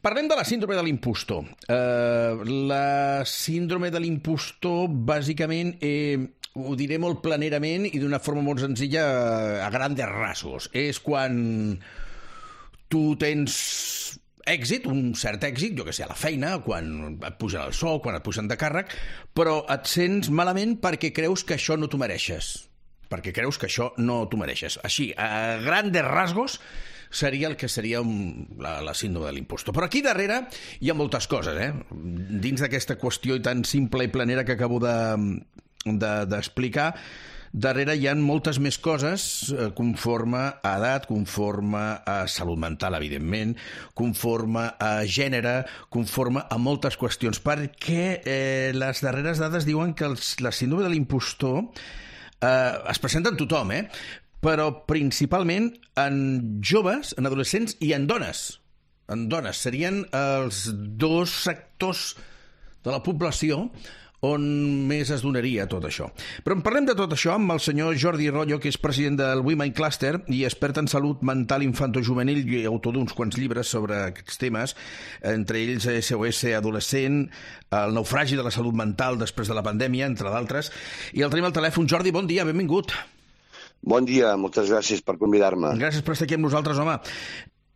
Parlem de la síndrome de l'impostor. La síndrome de l'impostor, bàsicament, ho diré molt planerament i d'una forma molt senzilla, a grandes rasgos. És quan tu tens èxit, un cert èxit, jo que sé, a la feina, quan et pugen el sou, quan et pugen de càrrec, però et sents malament perquè creus que això no t'ho mereixes. Així, a grandes rasgos, seria el que seria la síndrome de l'impostor. Però aquí darrere hi ha moltes coses, dins d'aquesta qüestió tan simple i planera que acabo d'explicar, darrere hi ha moltes més coses conforme a edat, conforme a salut mental, evidentment, conforme a gènere, conforme a moltes qüestions, perquè les darreres dades diuen que la síndrome de l'impostor es presenta en tothom, però principalment en joves, en adolescents i en dones. En dones. Serien els dos sectors de la població on més es donaria tot això. Però en parlem de tot això amb el senyor Jordi Royo, que és president del Women Cluster i expert en salut mental infantojuvenil i autor d'uns quants llibres sobre aquests temes, entre ells SOS Adolescent, el naufragi de la salut mental després de la pandèmia, entre d'altres. I el tenim al telèfon. Jordi, bon dia, benvingut. Bon dia, moltes gràcies per convidar-me. Gràcies per estar aquí amb nosaltres, home.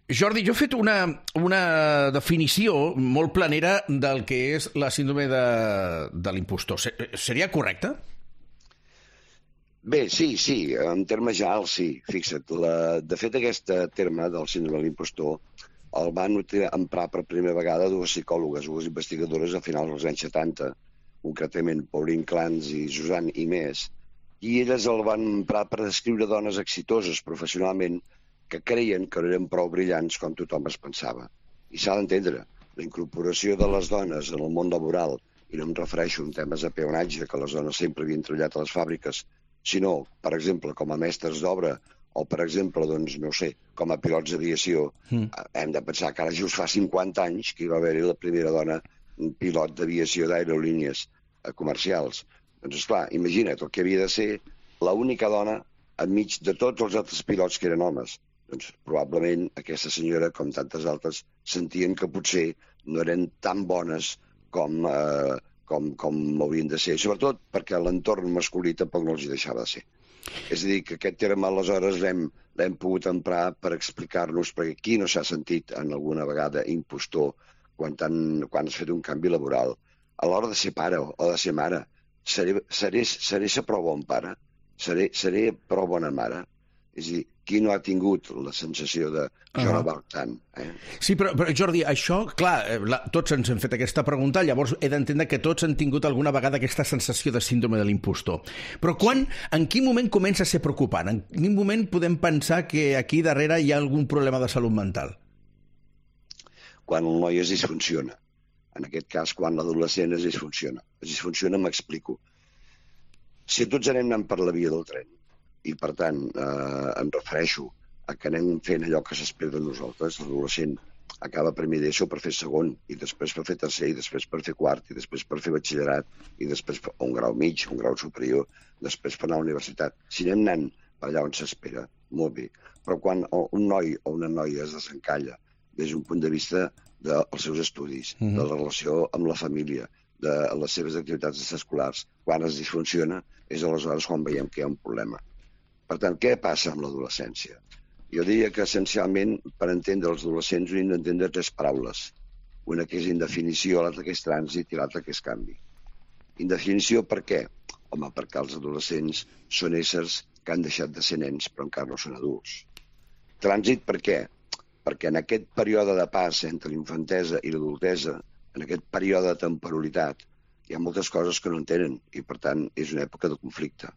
Jordi, jo he fet una definició molt planera del que és la síndrome de l'impostor. Seria correcte? Bé, sí, en termes generals sí. Fixa't, de fet aquest terme del síndrome de l'impostor el van emprar per primera vegada dues psicòlogues, dues investigadores a finals dels anys 70, concretament Pauline Clance i Suzanne Imes, i elles el van emprar per descriure dones exitoses professionalment que creien que no eren prou brillants com tothom es pensava. I s'ha d'entendre, la incorporació de les dones en el món laboral, i no em refereixo en temes de peonatge, que les dones sempre havien treballat a les fàbriques, sinó, per exemple, com a mestres d'obra, o, per exemple, doncs, no sé, com a pilots d'aviació, hem de pensar que ara just fa 50 anys que hi va haver-hi la primera dona pilot d'aviació d'aerolínies comercials. Doncs, esclar, imagina't el que havia de ser l'única dona enmig de tots els altres pilots que eren homes. Doncs probablement aquesta senyora, com tantes altres, sentien que potser no eren tan bones com haurien de ser, sobretot perquè l'entorn masculí tampoc no els hi deixava de ser. És a dir, que aquest terme aleshores l'hem pogut emprar per explicar-nos, perquè qui no s'ha sentit en alguna vegada impostor quan has fet un canvi laboral. A l'hora de ser pare o de ser mare, seré prou bon pare? Seré prou bona mare? És a dir, qui no ha tingut la sensació de jo no valc tant? Sí, però Jordi, això, clar, tots ens hem fet aquesta pregunta, llavors he d'entendre que tots han tingut alguna vegada aquesta sensació de síndrome de l'impostor. Però en quin moment comença a ser preocupant? En quin moment podem pensar que aquí darrere hi ha algun problema de salut mental? Quan el noi es disfunciona. En aquest cas, quan l'adolescent es disfunciona. Es disfunciona, m'explico. Si tots anem anant per la via del tren, i per tant em refereixo a que anem fent allò que s'espera de nosaltres, l'adolescent acaba primer d'ESO per fer segon, i després per fer tercer, i després per fer quart, i després per fer batxillerat, i després un grau mig, un grau superior, després per anar a la universitat. Si anem anant per allà on s'espera, molt bé. Però quan un noi o una noia es desencalla des d'un punt de vista dels seus estudis, de la relació amb la família, de les seves activitats extraescolars, quan es disfunciona, és aleshores quan veiem que hi ha un problema. Per tant, què passa amb l'adolescència? Jo diria que, essencialment, per entendre els adolescents, hem d'entendre tres paraules. Una que és indefinició, l'altra que és trànsit i l'altra que és canvi. Indefinició per què? Home, perquè els adolescents són éssers que han deixat de ser nens però encara no són adults. Trànsit per què? Perquè en aquest període de pas entre l'infantesa i l'adultesa, en aquest període de temporalitat, hi ha moltes coses que no entenen i, per tant, és una època de conflicte.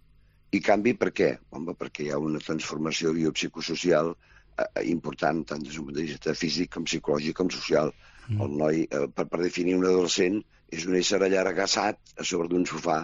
I canvi per què? Home, perquè hi ha una transformació biopsicosocial important, tant des d'un punt de vista físic com psicològic com social. El noi, per definir un adolescent, és un ésser allargassat a sobre d'un sofà,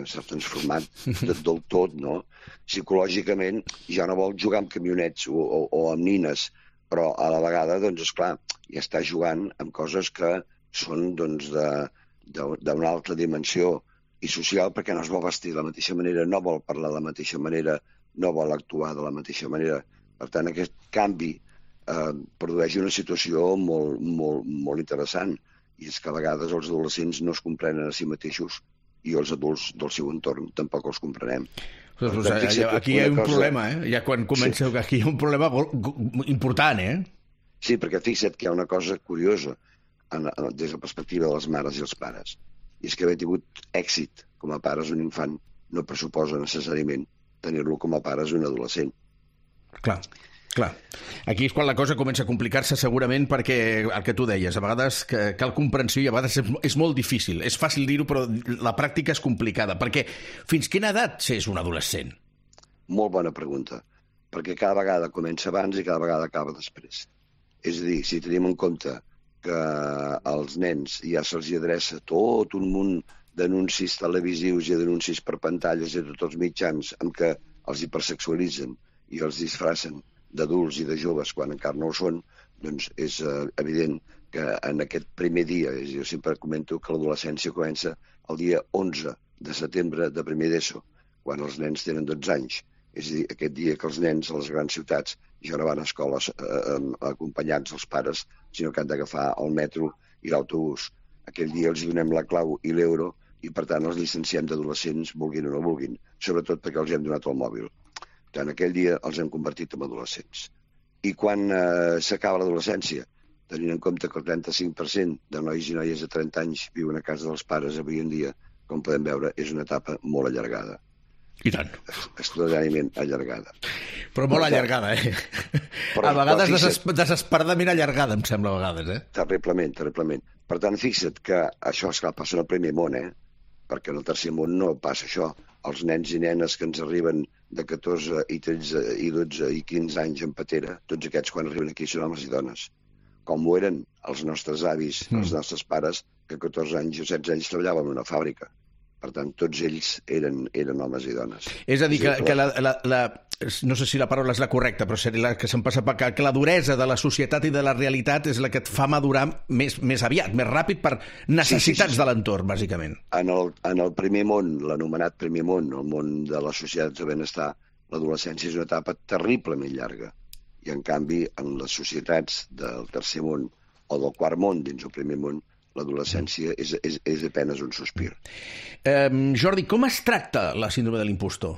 s'ha transformat del tot, no? Psicològicament ja no vol jugar amb camionets o amb nines, però a la vegada, doncs, esclar, ja està jugant amb coses que són, doncs, d'una altra dimensió i social, perquè no es vol vestir de la mateixa manera, no vol parlar de la mateixa manera, no vol actuar de la mateixa manera. Per tant, aquest canvi produeix una situació molt interessant, i és que a vegades els adolescents no es comprenen a si mateixos i els adults del seu entorn tampoc els comprenem. Aquí hi ha un problema, ja quan comença, aquí hi ha un problema important, Sí, perquè fixa't que hi ha una cosa curiosa des de la perspectiva de les mares i els pares, i és que haver tingut èxit com a pares un infant no pressuposa necessàriament tenir-lo com a pares un adolescent. Clar. Aquí és quan la cosa comença a complicar-se segurament, perquè el que tu deies, a vegades cal comprensió i a vegades és molt difícil. És fàcil dir-ho, però la pràctica és complicada, perquè fins quina edat s'és un adolescent? Molt bona pregunta, perquè cada vegada comença abans i cada vegada acaba després. És a dir, si tenim en compte que als nens ja se'ls adreça tot un munt d'anuncis televisius i d'anuncis per pantalles i de tots els mitjans amb què els hipersexualitzen i els disfracen d'adults i de joves quan encara no ho són, doncs és evident que en aquest primer dia, jo sempre comento que l'adolescència comença el dia 11 de setembre de primer d'ESO, quan els nens tenen 12 anys. És a dir, aquest dia que els nens a les grans ciutats ja no van a escoles acompanyats dels pares, sinó que han d'agafar el metro i l'autobús. Aquell dia els donem la clau i l'euro i, per tant, els llicenciem d'adolescents, vulguin o no vulguin, sobretot perquè els hem donat el mòbil. Tant aquell dia els hem convertit en adolescents. I quan s'acaba l'adolescència, tenint en compte que el 35% de nois i noies de 30 anys viuen a casa dels pares avui en dia, com podem veure, és una etapa molt allargada. I tant. Extraordinàriament allargada. Però molt allargada, A vegades desesperadament allargada, em sembla, a vegades, Terriblement. Per tant, fixa't que això, esclar, passa en el primer món, perquè en el tercer món no passa això. Els nens i nenes que ens arriben de 14 i 13 i 12 i 15 anys en patera, tots aquests quan arriben aquí són homes i dones. Com ho eren els nostres avis, els nostres pares, que a 14 anys o 16 anys treballaven en una fàbrica. Per tant, tots ells eren homes i dones. És a dir, que no sé si la paraula és la correcta, però seria la que se'm passa per que la duresa de la societat i de la realitat és la que et fa madurar més aviat, més ràpid, per necessitats de l'entorn, bàsicament. En el primer món, l'anomenat primer món, el món de les societats de benestar, l'adolescència és una etapa terriblement llarga. I, en canvi, en les societats del tercer món o del quart món dins el primer món, l'adolescència és apenes un sospir. Jordi, com es tracta la síndrome de l'impostor?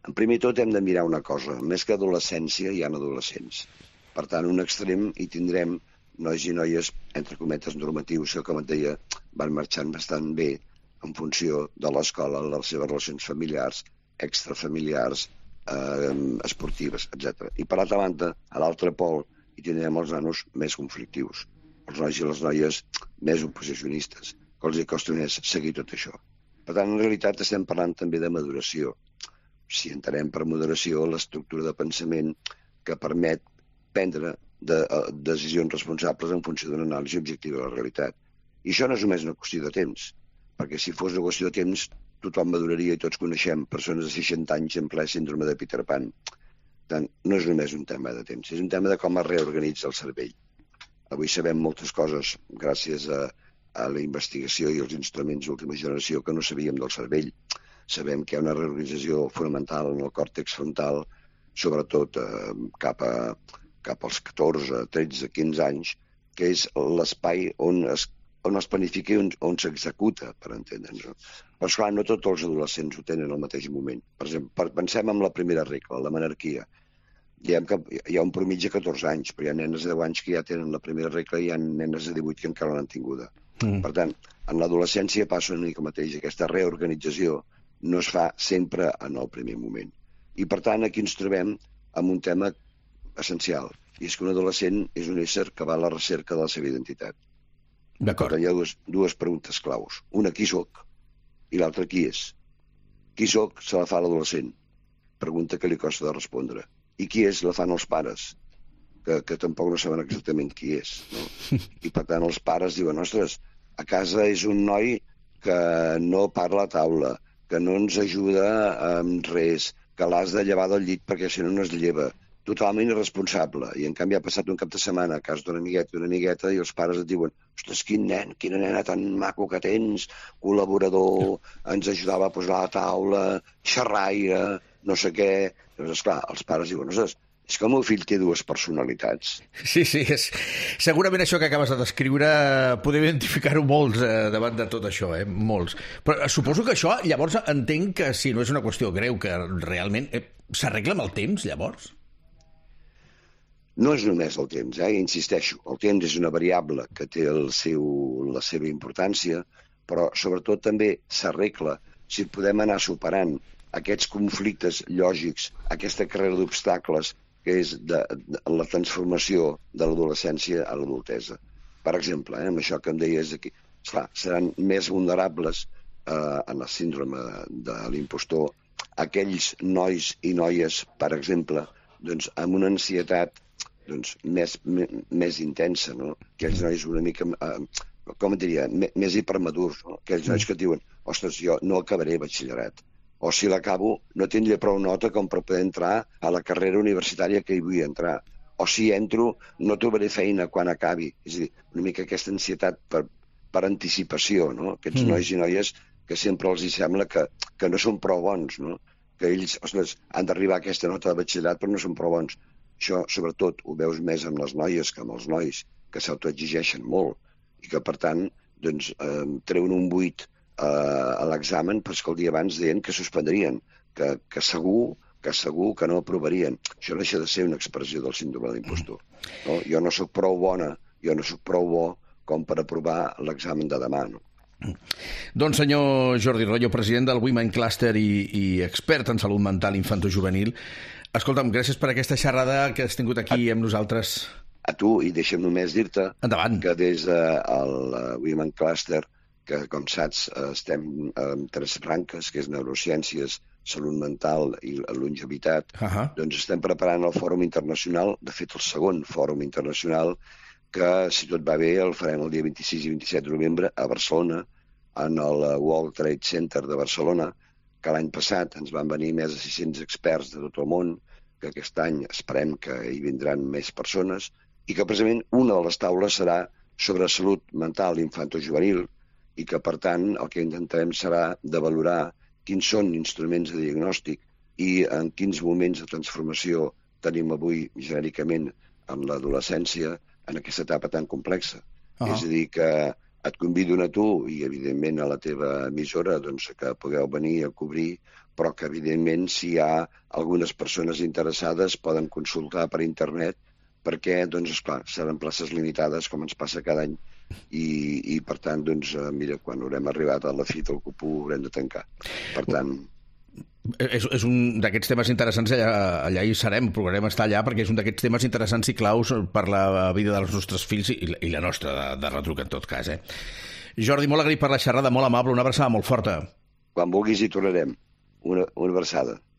En primer tot hem de mirar una cosa. Més que adolescència hi ha adolescents. Per tant, un extrem hi tindrem nois i noies, entre cometes, normatius, que, com et deia, van marxant bastant bé en funció de l'escola, les seves relacions familiars, extrafamiliars, esportives, etc. I, per altra banda, a l'altre pol hi tindrem els nanos més conflictius, els nois i les noies més oposicionistes, que els costa més seguir tot això. Per tant, en realitat estem parlant també de maduració. Si entenem per moderació l'estructura de pensament que permet prendre decisions responsables en funció d'una anàlisi objectiva de la realitat. I això no és només una qüestió de temps, perquè si fos una qüestió de temps tothom maduraria i tots coneixem persones de 60 anys en ple síndrome de Peter Pan. Per tant, no és només un tema de temps, és un tema de com es reorganitza el cervell. Avui sabem moltes coses gràcies a la investigació i als instruments d'última generació que no sabíem del cervell. Sabem que hi ha una reorganització fonamental en el còrtex frontal, sobretot cap als 14, 13, 15 anys, que és l'espai on es planifica i on s'executa, per entendre'ns. Però, esclar, no tots els adolescents ho tenen al mateix moment. Per exemple, pensem en la primera regla, la menarquia. Diem que hi ha un promitja de 14 anys, però hi ha nenes de 10 anys que ja tenen la primera regla i hi ha nenes de 18 que encara no l'han tinguda. Per tant, en l'adolescència passa una mica mateix. Aquesta reorganització no es fa sempre en el primer moment. I, per tant, aquí ens trobem amb un tema essencial, i és que un adolescent és un ésser que va a la recerca de la seva identitat. D'acord. Hi ha dues preguntes claus. Una, qui soc? I l'altra, qui és? Qui soc se la fa l'adolescent. Pregunta que li costa de respondre. I qui és la fan els pares, que tampoc no saben exactament qui és. No? I, per tant, els pares diuen, ostres, a casa és un noi que no parla a taula, que no ens ajuda amb res, que l'has de llevar del llit perquè si no no es lleva. Totalment irresponsable. I, en canvi, ha passat un cap de setmana a casa d'un amiguet i una amigueta i els pares et diuen, ostres, quin nen, quina nena tan maco que tens, col·laborador, ens ajudava a posar a la taula, xerraire, no sé què. Llavors, esclar, els pares diuen, ostres, És que el meu fill té dues personalitats. Sí, segurament això que acabes de descriure podem identificar-ho molts davant de tot això, molts. Però suposo que això, llavors, entenc que si no és una qüestió greu, que realment s'arregla amb el temps, llavors? No és només el temps, insisteixo. El temps és una variable que té la seva importància, però sobretot també s'arregla si podem anar superant aquests conflictes lògics, aquesta carrera d'obstacles que és la transformació de l'adolescència a l'adultesa. Per exemple, amb això que em deies aquí, esclar, seran més vulnerables en el síndrome de l'impostor aquells nois i noies, per exemple, doncs, amb una ansietat més intensa, no? Aquells nois una mica, com et diria, més hipermadurs, no? Aquells nois que et diuen, ostres, jo no acabaré batxillerat, o si l'acabo no tindré prou nota com per poder entrar a la carrera universitària que hi vull entrar, o si entro no trobaré feina quan acabi. És a dir, una mica aquesta ansietat per anticipació, no? Aquests nois i noies que sempre els hi sembla que no són prou bons, no? Que ells, ostres, han d'arribar a aquesta nota de batxillerat però no són prou bons. Això, sobretot, ho veus més amb les noies que amb els nois, que s'autoexigeixen molt i que, per tant, doncs, treuen un 8 a l'examen, però és que el dia abans deien que suspendrien, que segur que no aprovarien. Això deixa de ser una expressió del síndrome de l'impostor. No? Jo no sóc prou bona, jo no sóc prou bo com per aprovar l'examen de demà, no? Doncs senyor Jordi Royo, president del Women Cluster i expert en salut mental infantojuvenil, escolta'm, gràcies per aquesta xerrada que has tingut aquí amb nosaltres. A tu, i deixa'm només dir-te que des del Women Cluster, que com saps estem en 3 branques, que és neurociències, salut mental i longevitat, doncs estem preparant el Fòrum Internacional, de fet el segon Fòrum Internacional, que si tot va bé el farem el dia 26 i 27 de novembre a Barcelona, en el World Trade Center de Barcelona, que l'any passat ens van venir més de 600 experts de tot el món, que aquest any esperem que hi vindran més persones, i que precisament una de les taules serà sobre salut mental infantojuvenil, i que, per tant, el que intentarem serà de valorar quins són instruments de diagnòstic i en quins moments de transformació tenim avui, genèricament, en l'adolescència, en aquesta etapa tan complexa. És a dir, que et convido a tu i, evidentment, a la teva emissora doncs, que pugueu venir a cobrir, però que, evidentment, si hi ha algunes persones interessades poden consultar per internet perquè, doncs, esclar, seran places limitades, com ens passa cada any, i per tant, doncs, mira, quan haurem arribat a la fi del cupú haurem de tancar. Per tant... És un d'aquests temes interessants, allà hi serem, procurarem estar allà, perquè és un d'aquests temes interessants i claus per la vida dels nostres fills i la nostra, de retruc, en tot cas. Jordi, molt agraït per la xerrada, molt amable, una abraçada molt forta. Quan vulguis hi tornarem. Una abraçada.